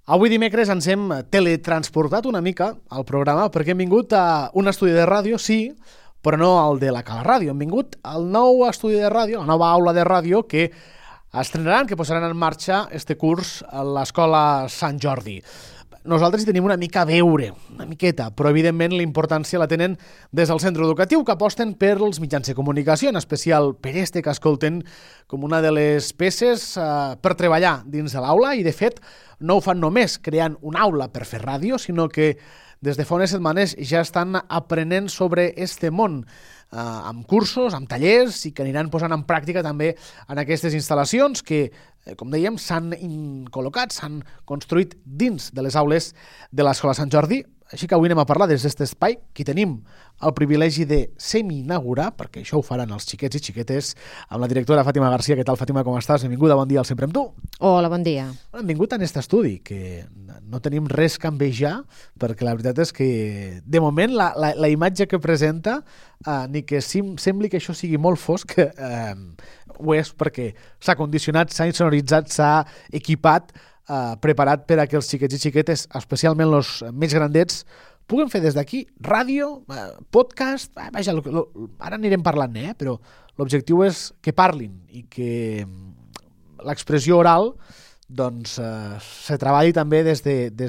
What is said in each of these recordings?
Avui dimecres ens hem teletransportat una mica al programa perquè hem vingut a un estudi de ràdio, sí, però no el de la Cala Ràdio. Hem vingut al nou estudi de ràdio, la nova aula de ràdio que estrenaran, que posaran en marxa este curs a l'Escola Sant Jordi. Nosaltres hi tenim una mica a veure, una miqueta, però evidentment la importància la tenen des del centre educatiu, que aposten per els mitjans de comunicació, en especial per este que escolten com una de les peces per treballar dins de l'aula, i de fet no ho fan només creant una aula per fer ràdio, sinó que des de fa unes setmanes ja estan aprenent sobre este món, amb cursos, amb tallers, i que aniran posant en pràctica també en aquestes instal·lacions que, com dèiem, s'han col·locat, s'han construït dins de les aules de l'Escola Sant Jordi. Així que avui anem a parlar des d'aquest espai que tenim el privilegi de semi-inaugurar, perquè això ho faran els xiquets i xiquetes, amb la directora Fàtima Garcia. Què tal, Fàtima, com estàs? Benvinguda, bon dia al Sempre amb tu. Hola, bon dia. Hem vingut en aquest estudi, que no tenim res que envejar, perquè la veritat és que, de moment, la imatge que presenta, ni que sembli que això sigui molt fosc, ho és perquè s'ha condicionat, s'ha insonoritzat, s'ha equipat, preparat per a que els xiquets i xiquetes, especialment els més grandets, puguen fer des d'aquí ràdio, podcast, vaja, ara anirem parlant, però l'objectiu és que parlin i que l'expressió oral doncs se treballi també des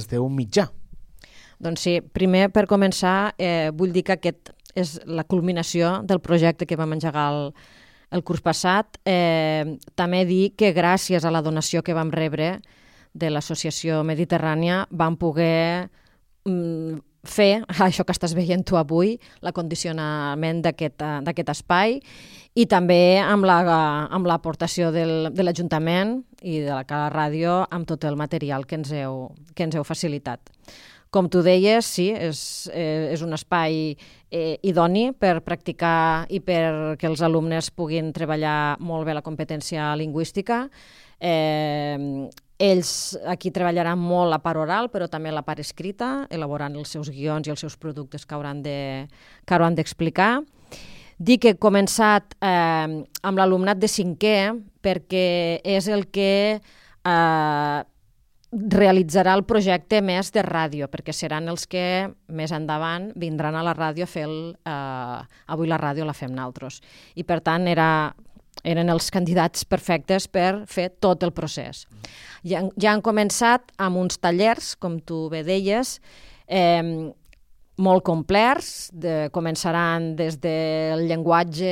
d'un mitjà. Doncs sí, primer per començar vull dir que aquest és la culminació del projecte que vam engegar el curs passat. També dir que gràcies a la donació que vam rebre de l'Associació Mediterrània vam poder fer això que estàs veient tu avui, l'acondicionament d'aquest espai, i també amb l'aportació de l'Ajuntament i de la Cala Ràdio amb tot el material que ens heu facilitat. Com tu deies, sí, és un espai idoni per practicar i perquè els alumnes puguin treballar molt bé la competència lingüística. Ells aquí treballaran molt la part oral, però també la part escrita, elaborant els seus guions i els seus productes que hauran d'explicar. Dic que he començat amb l'alumnat de 5è perquè és el que realitzarà el projecte més de ràdio, perquè seran els que més endavant vindran a la ràdio a fer avui la ràdio la fem nosaltres. I per tant eren els candidats perfectes per fer tot el procés. Ja han començat amb uns tallers, com tu bé deies, molt complets. Començaran des del llenguatge,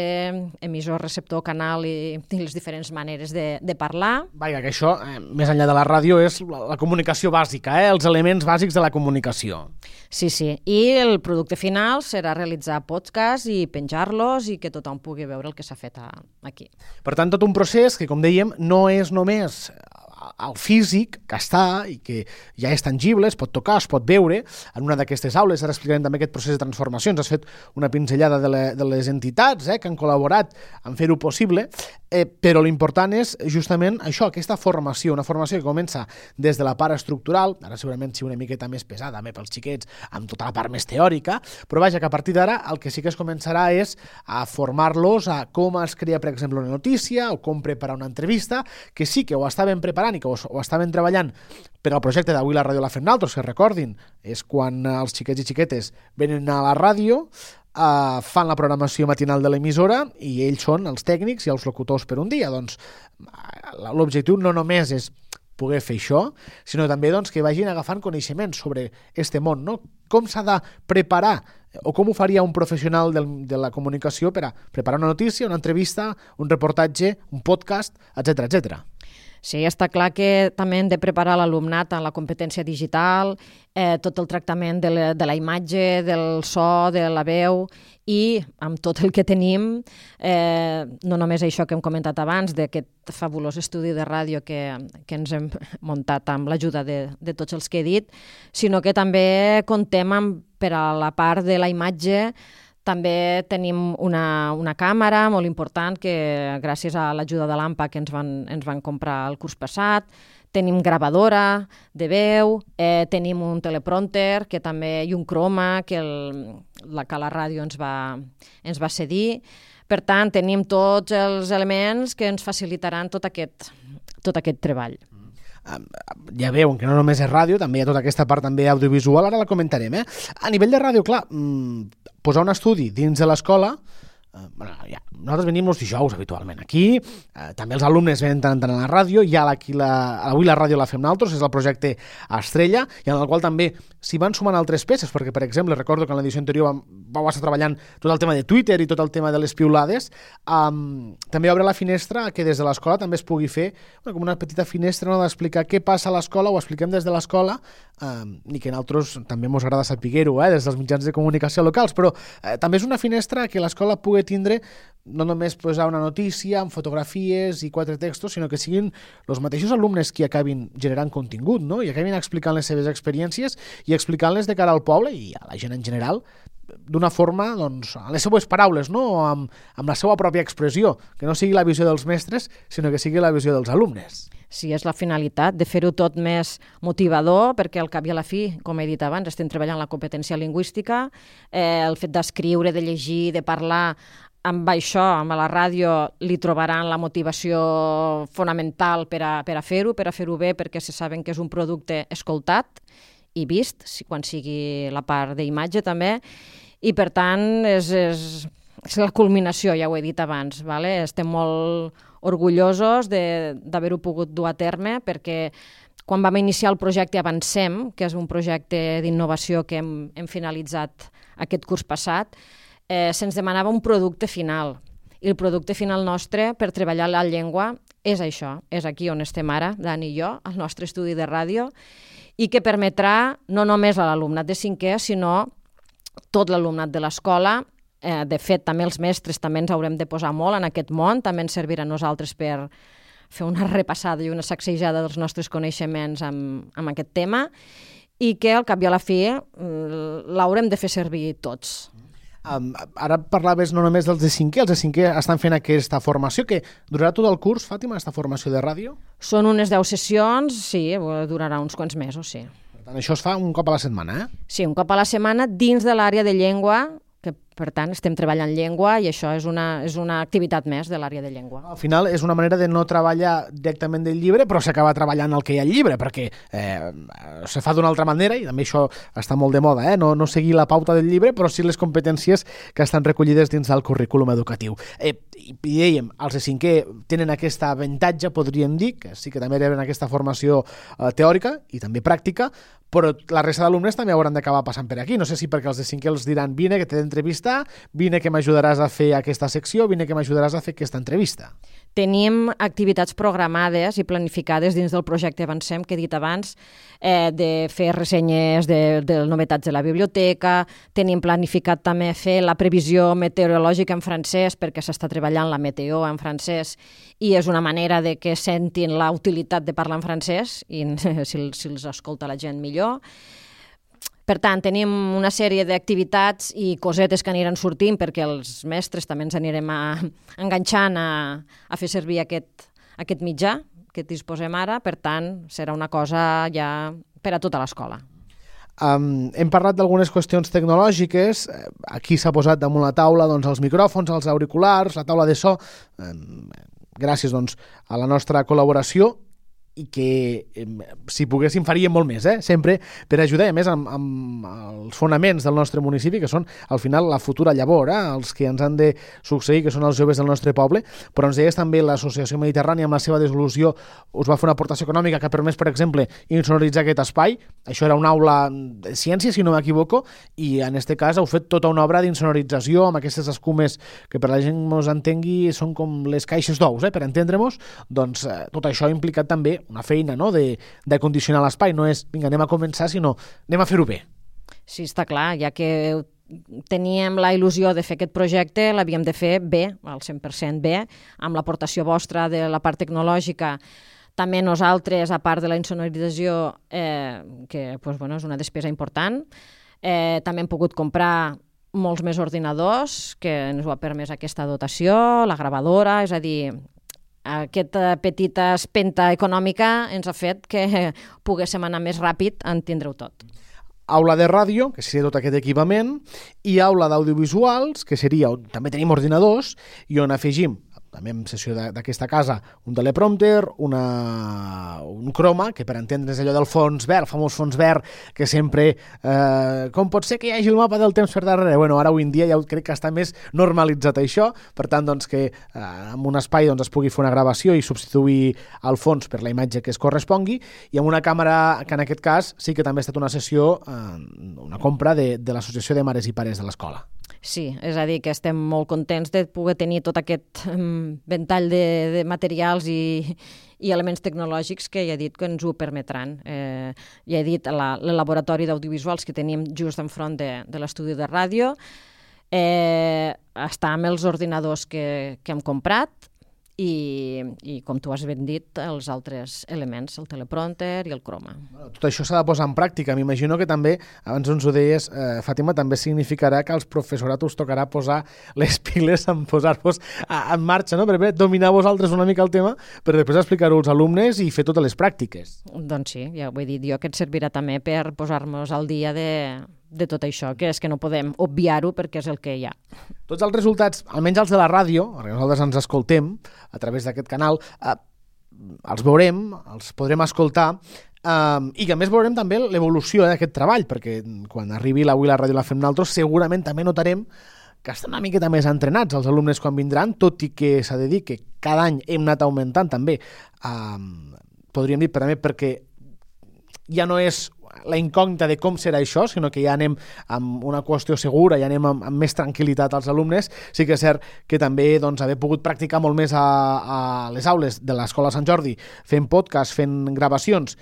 emissor, receptor, canal i les diferents maneres de parlar. Vaja, que això, més enllà de la ràdio, és la comunicació bàsica, els elements bàsics de la comunicació. Sí, sí. I el producte final serà realitzar podcasts i penjar-los i que tothom pugui veure el que s'ha fet aquí. Per tant, tot un procés que, com dèiem, no és només el físic, que està i que ja és tangible, es pot tocar, es pot veure en una d'aquestes aules. Ara explicarem també aquest procés de transformació. Ens has fet una pinzellada de les entitats que han col·laborat en fer-ho possible, però l'important és justament això, aquesta formació, una formació que comença des de la part estructural, ara segurament sigui una miqueta més pesada, també pels xiquets, amb tota la part més teòrica, però vaja, que a partir d'ara el que sí que es començarà és a formar-los a com es crea, per exemple, una notícia o com preparar una entrevista, que sí que ho estaven preparant i que ho estaven treballant per al projecte d'Avui la ràdio la fem nosaltres, que recordin, és quan els xiquets i xiquetes venen a la ràdio, fan la programació matinal de l'emissora i ells són els tècnics i els locutors per un dia. Doncs l'objectiu no només és poder fer això, sinó també que vagin agafant coneixements sobre este món, no? Com s'ha de preparar o com ho faria un professional de la comunicació per a preparar una notícia, una entrevista, un reportatge, un podcast, etc etc. Sí, està clar que també hem de preparar l'alumnat en la competència digital, tot el tractament de la imatge, del so, de la veu, i amb tot el que tenim, no només això que hem comentat abans, d'aquest fabulós estudi de ràdio que ens hem muntat amb l'ajuda de tots els que he dit, sinó que també contem per a la part de la imatge. També tenim una càmera molt important que gràcies a l'ajuda de l'AMPA que ens van comprar el curs passat. Tenim gravadora de veu, tenim un teleprompter i un croma que la Cala Ràdio ens va cedir. Per tant, tenim tots els elements que ens facilitaran tot aquest treball. ja veuen que no només és ràdio, també hi ha tota aquesta part també audiovisual, ara la comentarem. A nivell de ràdio, clar, posar un estudi dins de l'escola, nosaltres venim els dijous habitualment aquí, també els alumnes venen tant a la ràdio, i avui la ràdio la fem nosaltres, és el projecte Estrella, i en el qual també s'hi van sumant altres peces, perquè per exemple recordo que en l'edició anterior vau estar treballant tot el tema de Twitter i tot el tema de les piulades. També obre la finestra que des de l'escola també es pugui fer com una petita finestra, no, d'explicar què passa a l'escola, ho expliquem des de l'escola, i que a nosaltres també ens agrada saber-ho des dels mitjans de comunicació locals, però també és una finestra que l'escola pugui tindre no només posar una notícia amb fotografies i 4 textos, sinó que siguin els mateixos alumnes qui acabin generant contingut, no? I acabin explicant les seves experiències i explicant-les de cara al poble i a la gent en general d'una forma, doncs, a les seues paraules, no? Amb la seva pròpia expressió, que no sigui la visió dels mestres, sinó que sigui la visió dels alumnes. Sí, és la finalitat de fer-ho tot més motivador, perquè al cap i a la fi, com he dit abans, estem treballant la competència lingüística, el fet d'escriure, de llegir, de parlar, amb això, amb la ràdio, li trobaran la motivació fonamental per a fer-ho bé, perquè se saben que és un producte escoltat i vist, quan sigui la part d'imatge també, i per tant és la culminació, ja ho he dit abans, vale? Estem molt orgullosos d'haver-ho pogut dur a terme, perquè quan vam iniciar el projecte Avancem, que és un projecte d'innovació que hem finalitzat aquest curs passat, se'ns demanava un producte final. I el producte final nostre per treballar la llengua és això, és aquí on estem ara, Dani i jo, al nostre estudi de ràdio, i que permetrà no només a l'alumnat de 5è, sinó tot l'alumnat de l'escola. De fet, també els mestres també ens haurem de posar molt en aquest món, també ens servirà a nosaltres per fer una repassada i una sacsejada dels nostres coneixements amb aquest tema, i que al cap i a la fi l'haurem de fer servir tots. Ara parlaves no només dels de 5è, els de 5è estan fent aquesta formació, que durarà tot el curs, Fàtima, aquesta formació de ràdio? Són unes 10 sessions, sí, durarà uns quants mesos, sí. Per tant, això es fa un cop a la setmana, Sí, un cop a la setmana dins de l'àrea de llengua, que per tant estem treballant llengua i això és una activitat més de l'àrea de llengua. Al final és una manera de no treballar directament del llibre, però s'acaba treballant el que hi ha al llibre, perquè se fa d'una altra manera, i també això està molt de moda, no seguir la pauta del llibre, però sí les competències que estan recollides dins del currículum educatiu. I dèiem, els de 5è tenen aquest avantatge, podríem dir, que sí que també reben aquesta formació teòrica i també pràctica, però la resta d'alumnes també hauran d'acabar passant per aquí. No sé si perquè els de 5è els diran vine que t'he d'entrevistar, vine que m'ajudaràs a fer aquesta secció, vine que m'ajudaràs a fer aquesta entrevista. Tenim activitats programades i planificades dins del projecte Avancem, que he dit abans, de fer ressenyes de novetats de la biblioteca. Tenim planificat també fer la previsió meteorològica en francès, perquè s'està treballant la meteo en francès i és una manera de que sentin la utilitat de parlar en francès i si els escolta la gent millor. Per tant, tenim una sèrie d'activitats i cosetes que aniran sortint perquè els mestres també ens anirem enganxant a fer servir aquest mitjà que disposem ara. Per tant, serà una cosa ja per a tota l'escola. Hem parlat d'algunes qüestions tecnològiques. Aquí s'ha posat damunt la taula els micròfons, els auriculars, la taula de so. Gràcies a la nostra col·laboració, i que si poguéssim faríem molt més, sempre per ajudar, a més, amb els fonaments del nostre municipi, que són al final la futura llavor, els que ens han de succeir, que són els joves del nostre poble. Però ens deies també l'Associació Mediterrània, amb la seva dissolució, us va fer una aportació econòmica que ha permès, per exemple, insonoritzar aquest espai. Això era una aula de ciència, si no m'equivoco, i en aquest cas heu fet tota una obra d'insonorització amb aquestes escumes que, per la gent ens entengui, són com les caixes d'ous, per entendre-nos. Doncs tot això ha implicat també una feina, no?, de condicionar l'espai. No és, vinga, anem a començar, sinó anem a fer-ho bé. Sí, està clar, ja que teníem la il·lusió de fer aquest projecte, l'havíem de fer bé, al 100% bé, amb l'aportació vostra de la part tecnològica. També nosaltres, a part de la insonorització, que és una despesa important, també hem pogut comprar molts més ordinadors, que ens ho ha permès aquesta dotació, la gravadora, és a dir, aquesta petita espenta econòmica ens ha fet que poguéssim anar més ràpid a entendre-ho tot. Aula de ràdio, que seria tot aquest equipament, i aula d'audiovisuals, que seria on també tenim ordinadors, i on afegim també en sessió d'aquesta casa, un teleprompter, un croma, que per entendre's allò del fons verd, el famós fons verd, que sempre, com pot ser que hi hagi el mapa del temps per darrere? Bueno, ara avui en dia ja crec que està més normalitzat això, per tant, doncs, que en un espai doncs, es pugui fer una gravació i substituir el fons per la imatge que es correspongui, i amb una càmera que en aquest cas sí que també ha estat una sessió, una compra de l'Associació de Mares i Pares de l'Escola. Sí, és a dir, que estem molt contents de poder tenir tot aquest ventall de materials i elements tecnològics que ja he dit que ens ho permetran. Ja he dit el laboratori d'audiovisuals que tenim just enfront de l'estudi de ràdio, està amb els ordinadors que hem comprat i com tu has ben dit, els altres elements, el teleprompter i el croma. Tot això s'ha de posar en pràctica. M'imagino que també, abans ens ho deies, Fàtima, també significarà que als professorat us tocarà posar les piles en posar-vos en marxa, no? Per dominar vosaltres una mica el tema, per després explicar-ho als alumnes i fer totes les pràctiques. Doncs sí, ja ho he dit jo, que et servirà també per posar-nos al dia de tot això, que és que no podem obviar-ho perquè és el que hi ha. Tots els resultats, almenys els de la ràdio, perquè nosaltres ens escoltem a través d'aquest canal, els veurem, els podrem escoltar, i que a més veurem també l'evolució d'aquest treball, perquè quan arribi l'Avui la ràdio la fem nosaltres, segurament també notarem que estan una miqueta més entrenats els alumnes quan vindran, tot i que s'ha de dir que cada any hem anat augmentant també, podríem dir també perquè ja no és la incògnita de com serà això, sinó que ja anem amb una qüestió segura, ja anem amb més tranquil·litat als alumnes. Sí que és cert que també doncs, haver pogut practicar molt més a les aules de l'Escola Sant Jordi, fent podcast, fent gravacions,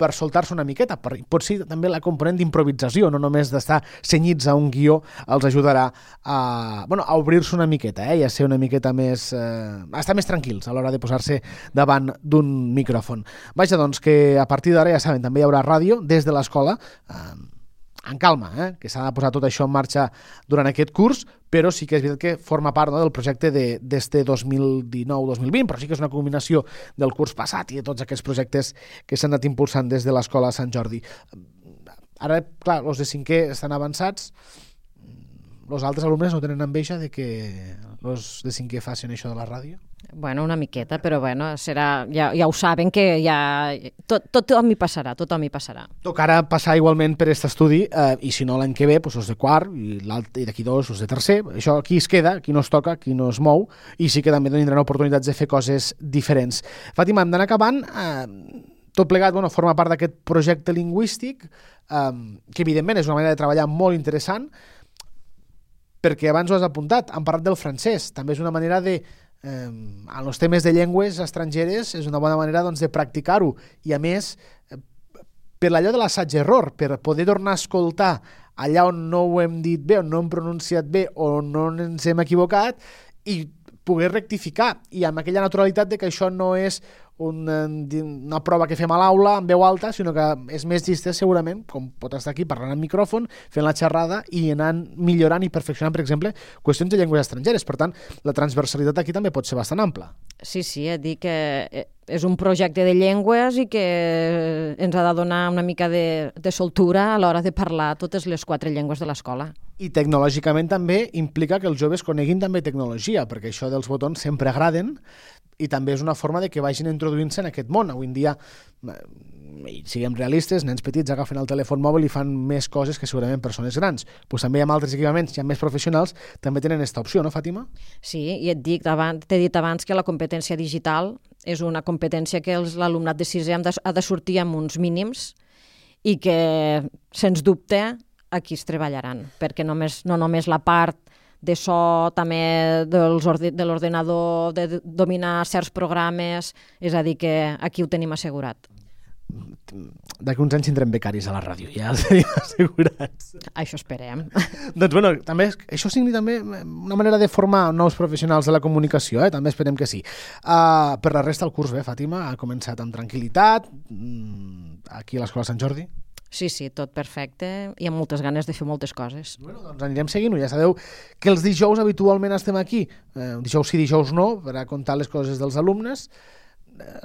per soltar-se una miqueta, pot ser també la component d'improvisació, no només d'estar senyits a un guió, els ajudarà a obrir-se una miqueta, i a ser una miqueta més... a estar més tranquils a l'hora de posar-se davant d'un micròfon. Vaja, doncs, que a partir d'ara, ja saben, també hi haurà ràdio des de l'escola, en calma, que s'ha de posar tot això en marxa durant aquest curs, però sí que és veritat que forma part del projecte d'este 2019-2020, però sí que és una combinació del curs passat i de tots aquests projectes que s'han anat impulsant des de l'Escola Sant Jordi. Ara, clar, els de cinquè estan avançats, els altres alumnes no tenen enveja de que els de cinquè facin això de la ràdio? Bueno, una miqueta, però bueno, serà, ja ho saben que ja tothom hi passarà, tothom hi passarà. Tocarà passar igualment per aquest estudi, i si no l'any que ve, doncs els de quart, i d'aquí dos, els de tercer. Això aquí es queda, aquí no es toca, aquí no es mou, i sí que també tindran oportunitats de fer coses diferents. Fàtima, hem d'anar acabant. Tot plegat forma part d'aquest projecte lingüístic, que evidentment és una manera de treballar molt interessant, perquè abans ho has apuntat, hem parlat del francès, també és una manera de en els temes de llengües estrangeres és una bona manera doncs, de practicar-ho, i a més per allò de l'assaig-error, per poder tornar a escoltar allà on no ho hem dit bé, on no hem pronunciat bé o no ens hem equivocat, i poder rectificar, i amb aquella naturalitat de que això no és una prova que fem a l'aula en veu alta, sinó que és més llista segurament, com pot estar aquí parlant en micròfon, fent la xerrada i anant millorant i perfeccionant, per exemple, qüestions de llengües estrangeres. Per tant, la transversalitat aquí també pot ser bastant ampla. Sí, dic que és un projecte de llengües i que ens ha de donar una mica de soltura a l'hora de parlar totes les 4 llengües de l'escola. I tecnològicament també implica que els joves coneguin també tecnologia, perquè això dels botons sempre agraden, i també és una forma de que vagin introduint-se en aquest món. Avui en dia, siguem realistes, nens petits agafen el telèfon mòbil i fan més coses que segurament persones grans. Pues també hi ha altres equipaments, hi ha més professionals, també tenen aquesta opció, no, Fàtima? Sí, i t'he dit abans que la competència digital és una competència que l'alumnat de 6è ha de sortir amb uns mínims i que, sens dubte, aquí es treballaran, perquè no només la part de so, també de l'ordenador, de dominar certs programes, és a dir, que aquí ho tenim assegurat. D'aquí uns anys tindrem becaris a la ràdio, ja els tenim assegurats. Això esperem. Doncs també això sigui també una manera de formar nous professionals de la comunicació, també esperem que sí. Per la resta del curs, Fàtima, ha començat amb tranquil·litat, aquí a l'Escola Sant Jordi. Sí, tot perfecte i amb moltes ganes de fer moltes coses. Doncs anirem seguint-ho. Ja sabeu que els dijous habitualment estem aquí, dijous sí, dijous no, per a contar les coses dels alumnes.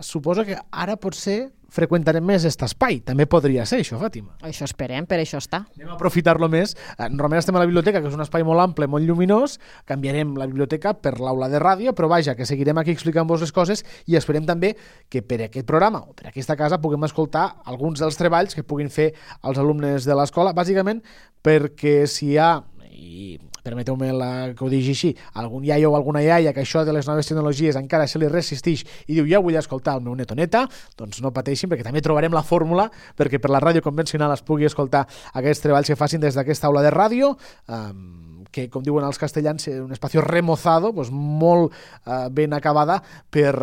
suposo que ara potser freqüentarem més aquest espai. També podria ser això, Fàtima. Això esperem, per això està. Anem a aprofitar-lo més. Normalment estem a la biblioteca, que és un espai molt ample, molt lluminós. Canviarem la biblioteca per l'aula de ràdio, però vaja, que seguirem aquí explicant-vos les coses i esperem també que per aquest programa o per aquesta casa puguem escoltar alguns dels treballs que puguin fer els alumnes de l'escola, bàsicament perquè si hi ha, i permeteu-me que ho digui així, algun iaio o alguna iaia que això de les noves tecnologies encara se li resisteix i diu, ja vull escoltar el meu net o neta, doncs no pateixin, perquè també trobarem la fórmula perquè per la ràdio convencional es pugui escoltar aquests treballs que facin des d'aquesta aula de ràdio, que, com diuen els castellans, un espacio remozado, doncs molt ben acabada per,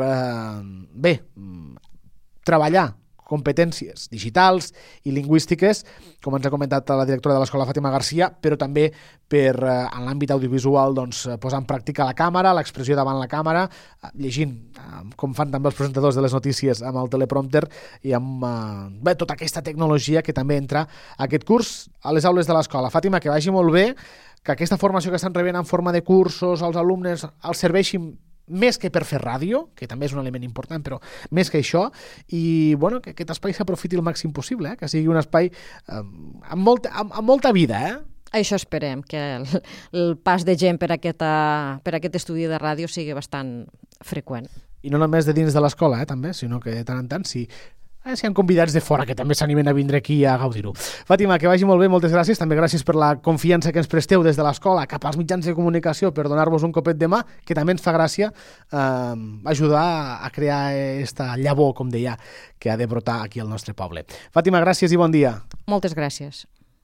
treballar competències digitals i lingüístiques, com ens ha comentat la directora de l'escola Fàtima Garcia, però també per, en l'àmbit audiovisual, doncs, posar en pràctica la càmera, l'expressió davant la càmera, llegint, com fan també els presentadors de les notícies amb el teleprompter i amb tota aquesta tecnologia que també entra a aquest curs a les aules de l'escola. Fàtima, que vagi molt bé, que aquesta formació que estan rebent en forma de cursos als alumnes els serveixi més que per fer ràdio, que també és un element important, però més que això, i bueno, que aquest espai s'aprofiti el màxim possible, que sigui un espai amb molta vida. Això esperem, que el pas de gent per aquest estudi de ràdio sigui bastant freqüent. I no només de dins de l'escola, també, sinó que de tant en tant, si hi ha convidats de fora que també s'animen a vindre aquí a gaudir-ho. Fàtima, que vagi molt bé, moltes gràcies. També gràcies per la confiança que ens presteu des de l'escola cap als mitjans de comunicació per donar-vos un copet de mà, que també ens fa gràcia ajudar a crear esta llavor, com deia, que ha de brotar aquí al nostre poble. Fàtima, gràcies i bon dia. Moltes gràcies.